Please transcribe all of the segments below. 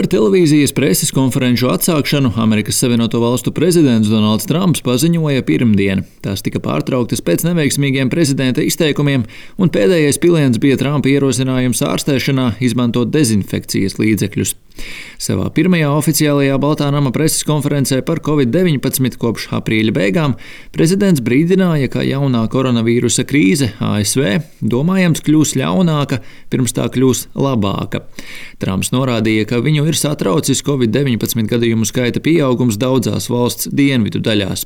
Par televīzijas preses konferenču atsākšanu Amerikas Savienoto Valstu prezidents Donalds Trumps paziņoja pirmdien. Tās tika pārtrauktas pēc neveiksmīgiem prezidenta izteikumiem, un pēdējais piliens bija Trumpa ierosinājums ārstēšanā izmantot dezinfekcijas līdzekļus. Savā pirmajā oficiālajā Baltā nama preses konferencē par Covid-19 kopš aprīļa beigām prezidents brīdināja, ka jaunā koronavīrusa krīze ASV domājams kļūs ļaunāka, pirms tā kļūs labāka. Trumps norādīja, ka viņu ir satraucis Covid-19 gadījumu skaita pieaugums daudzās valsts dienvidu daļās.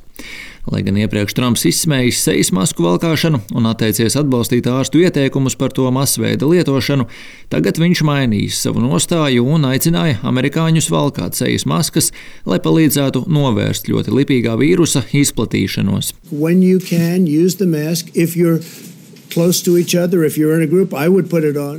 Lai gan iepriekš Trumps izsmējis sejas masku valkāšanu un atteicies atbalstīt ārstu ieteikumus par to masveida lietošanu, tagad viņš mainīs savu nostāju un aicināja amerikāņus valkāt sejas maskas, lai palīdzētu novērst ļoti lipīgā vīrusa izplatīšanos.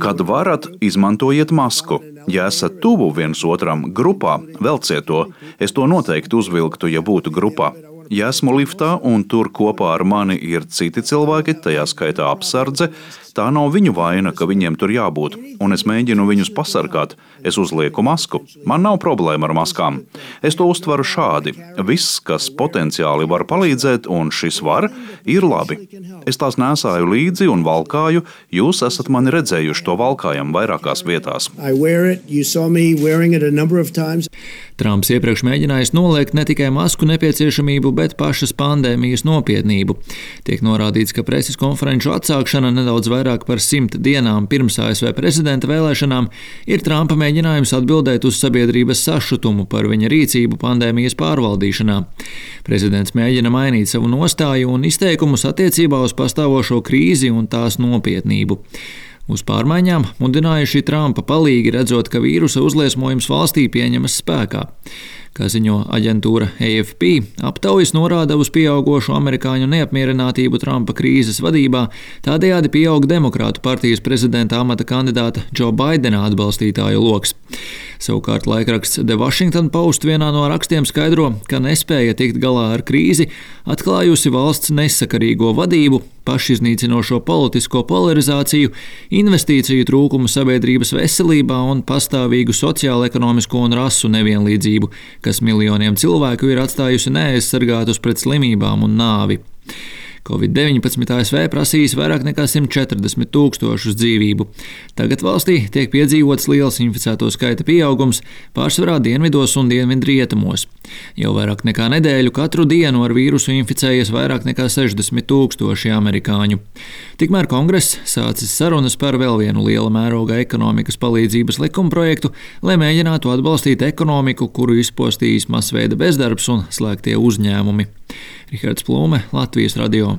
Kad varat, izmantojiet masku. Ja esat tuvu viens otram grupā, velciet to. Es to noteikti uzvilktu, ja būtu grupā. Ja esmu liftā un tur kopā ar mani ir citi cilvēki, tajā skaitā apsardze, tā nav viņu vaina, ka viņiem tur jābūt, un es mēģinu viņus pasargāt. Es uzlieku masku. Man nav problēma ar maskām. Es to uztveru šādi. Viss, kas potenciāli var palīdzēt, un šis var, ir labi. Es tās nēsāju līdzi un valkāju. Jūs esat mani redzējuši to valkājam vairākās vietās. Trumps iepriekš mēģinājis noliegt ne tikai masku nepieciešamību, bet pašas pandēmijas nopietnību. Tiek norādīts, ka preses konferenču atsākšana nedaudz vairāk par 100 dienām pirms ASV prezidenta vēlēšanām ir Trumpa mēģinājums atbildēt uz sabiedrības sašutumu par viņa rīcību pandēmijas pārvaldīšanā. Prezidents mēģina mainīt savu nostāju un izteikumus attiecībā uz pastāvošo krīzi un tās nopietnību. Uz pārmaiņām mudinājuši Trumpa palīgi, redzot, ka vīrusa uzliesmojums valstī pieņemas spēkā. Kā ziņo aģentūra AFP, aptaujas norāda uz pieaugošu amerikāņu neapmierinātību Trumpa krīzes vadībā, tādējādi pieaug Demokrātu partijas prezidenta amata kandidāta Joe Baidena atbalstītāju loks. Savukārt laikraksts The Washington Post vienā no rakstiem skaidro, ka nespēja tikt galā ar krīzi, atklājusi valsts nesakarīgo vadību, pašiznīcinošo politisko polarizāciju, investīciju trūkumu sabiedrības veselībā un pastāvīgu sociālo-ekonomisko un rasu nevienlīdzību, kas miljoniem cilvēku ir atstājusi neaizsargātus pret slimībām un nāvi. Covid-19 ASV prasījis vairāk nekā 140 000 dzīvību. Tagad valstī tiek piedzīvots liels inficēto skaita pieaugums, pārsvarā dienvidos un dienvidrietumos. Jau vairāk nekā nedēļu katru dienu ar vīrusu inficējies vairāk nekā 60 000 amerikāņu. Tikmēr Kongress sācis sarunas par vēl vienu liela mēroga ekonomikas palīdzības likumprojektu, lai mēģinātu atbalstīt ekonomiku, kuru izpostījis masveida bezdarbs un slēgtie uzņēmumi. Rihards Plūme, Latvijas radio.